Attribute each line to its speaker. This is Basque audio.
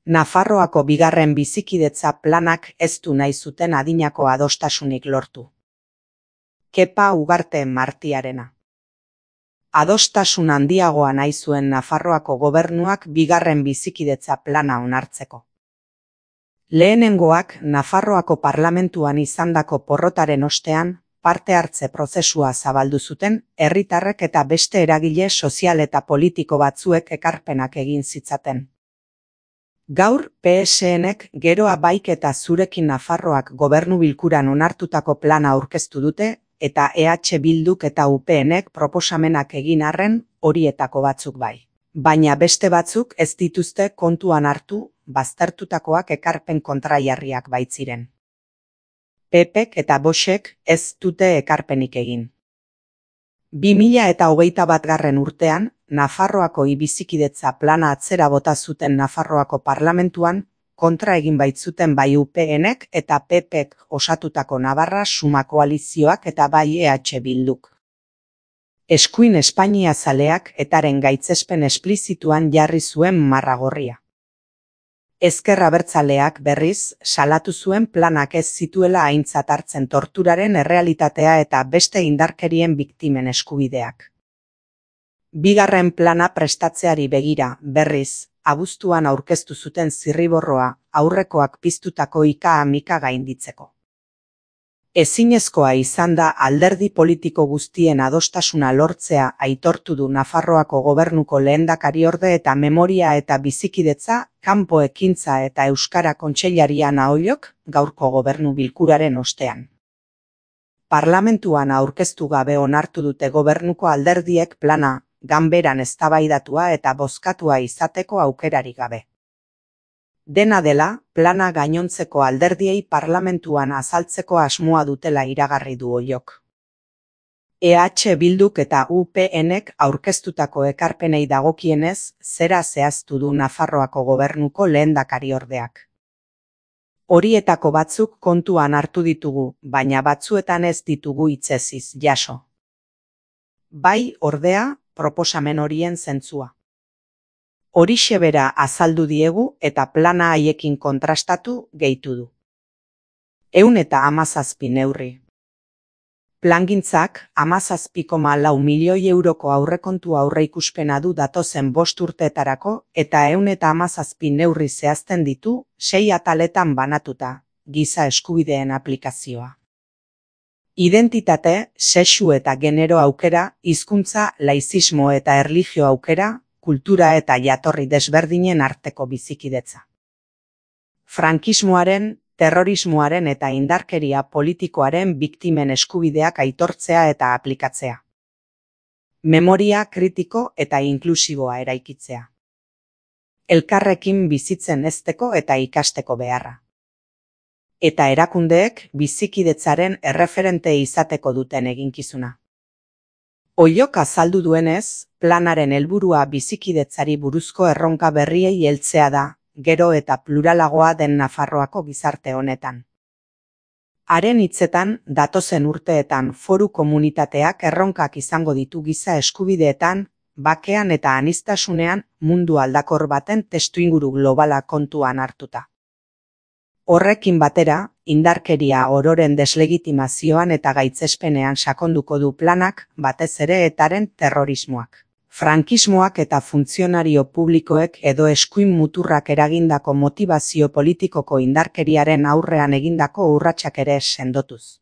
Speaker 1: Nafarroako bigarren bizikidetza planak ez du nahi zuten adinako adostasunik lortu. Kepa Ugarte Martiarena. Adostasun handiagoa nahi zuen Nafarroako gobernuak bigarren bizikidetza plana onartzeko. Lehenengoak Nafarroako parlamentuan izandako porrotaren ostean, parte hartze prozesua zabaldu zuten herritarrek eta beste eragile sozial eta politiko batzuek ekarpenak egin zitzaten. Gaur PSNek geroa baik eta zurekin Nafarroak gobernu bilkuran onartutako plana aurkeztu dute eta EH Bilduk eta UPNek proposamenak egin arren horietako batzuk bai. Baina beste batzuk ez dituzte kontuan hartu, baztertutakoak ekarpen kontraiarriak baitziren. PPek eta Voxek ez dute ekarpenik egin. 2021 urtean, Nafarroako bizikidetza plana atzera bota zuten Nafarroako parlamentuan, kontra egin baitzuten bai UPNek eta PPek osatutako Navarra Suma koalizioak eta bai EH Bilduk. Eskuin Espainia zaleak etaren gaitzespen esplizituan jarri zuen marra gorria. Ezker Abertzaleak berriz salatu zuen planak ez zituela aintzat hartzen torturaren errealitatea eta beste indarkerien biktimen eskubideak. Bigarren plana prestatzeari begira, berriz, abuztuan aurkeztu zuten zirriborroa aurrekoak piztutako ika-amika gainditzeko. Ezinezkoa izan da alderdi politiko guztien adostasuna lortzea aitortu du Nafarroako gobernuko lehendakariorde eta memoria eta bizikidetza, kanpo ekintza eta euskara kontseilaria Naoilok gaurko gobernu bilkuraren ostean. Parlamentuan aurkeztu gabe onartu dute gobernuko alderdiek plana, ganberan eztabaidatua eta bozkatua izateko aukerarik gabe. Dena dela, plana gainontzeko alderdiei parlamentuan azaltzeko asmoa dutela iragarri du Oiok. EH Bilduk eta UPNek aurkeztutako ekarpenei dagokienez, zera zehaztu du Nafarroako gobernuko lehendakariordeak. Horietako batzuk kontuan hartu ditugu, baina batzuetan ez ditugu hitzeziz jaso. Bai, ordea, proposamen horien zentzua. Horixe bera azaldu diegu eta plana haiekin kontrastatu gehitu du. 117 neurri. Plangintzak 17,4 milioi euroko aurrekontu aurreikuspena du datozen 5 urteetarako eta 117 neurri zehazten ditu 6 ataletan banatuta, giza eskubideen aplikazioa. Identitate, sexu eta genero aukera, hizkuntza, laizismo eta erlijio aukera, kultura eta jatorri desberdinen arteko bizikidetza. Frankismoaren, terrorismoaren eta indarkeria politikoaren biktimen eskubideak aitortzea eta aplikatzea. Memoria kritiko eta inklusiboa eraikitzea. Elkarrekin bizitzen hezteko eta ikasteko beharra. Eta erakundeek bizikidetzaren erreferente izateko duten eginkizuna. Oiok azaldu duenez, planaren helburua bizikidetzari buruzko erronka berriei heltzea da, gero eta pluralagoa den Nafarroako gizarte honetan. Haren hitzetan, datozen urteetan foru komunitateak erronkak izango ditu giza eskubideetan, bakean eta aniztasunean mundu aldakor baten testuinguru globala kontuan hartuta. Horrekin batera, indarkeria ororen deslegitimazioan eta gaitzespenean sakonduko du planak, batez ere etaren terrorismoak. Frankismoak eta funtzionario publikoek edo eskuin muturrak eragindako motivazio politikoko indarkeriaren aurrean egindako urratsak ere sendotuz.